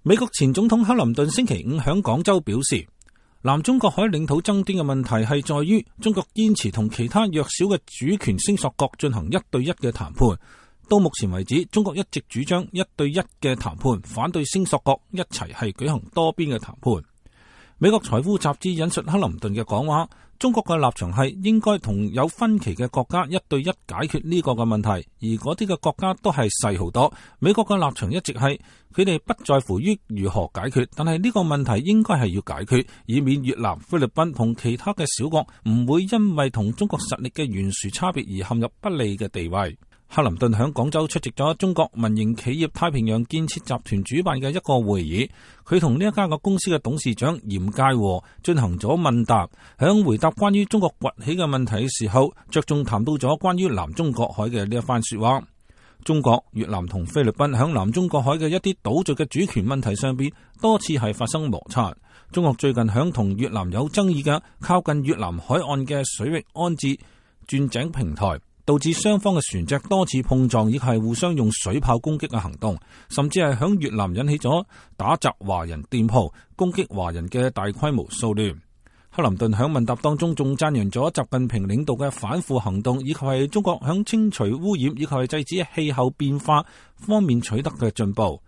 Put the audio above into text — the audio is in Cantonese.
美國前總統克林頓星期五響廣州表示，南中國海領土爭端嘅問題係在於中國堅持同其他弱小嘅主權聲索國進行一對一嘅談判。到目前為止，中國一直主張一對一嘅談判，反對聲索國一齊係舉行多邊嘅談判。美國財富雜誌引述克林頓嘅講話，中國嘅立場係應該同有分歧嘅國家一對一解決呢個嘅問題，而嗰啲嘅國家都係細好多。美國嘅立場一直係佢哋不在乎於如何解決，但係呢個問題應該係要解決，以免越南、菲律賓同其他嘅小國唔會因為同中國實力嘅懸殊差別而陷入不利嘅地位。克林頓喺廣州出席咗中國民營企業太平洋建設集團主辦嘅一個會議，佢同呢一家公司嘅董事長嚴介和進行咗問答。響回答關於中國崛起嘅問題嘅時候，着重談到咗關於南中國海嘅呢一番說話。中國、越南同菲律賓響南中國海嘅一啲島嶼嘅主權問題上邊多次係發生摩擦。中國最近響同越南有爭議嘅靠近越南海岸嘅水域安置鑽井平台，導致雙方嘅船隻多次碰撞，亦係互相用水炮攻擊嘅行動，甚至係響越南引起咗打砸華人店鋪、攻擊華人嘅大規模騷亂。克林頓響問答當中仲讚揚咗習近平領導嘅反腐行動，以及係中國響清除污染以及係制止氣候變化方面取得嘅進步。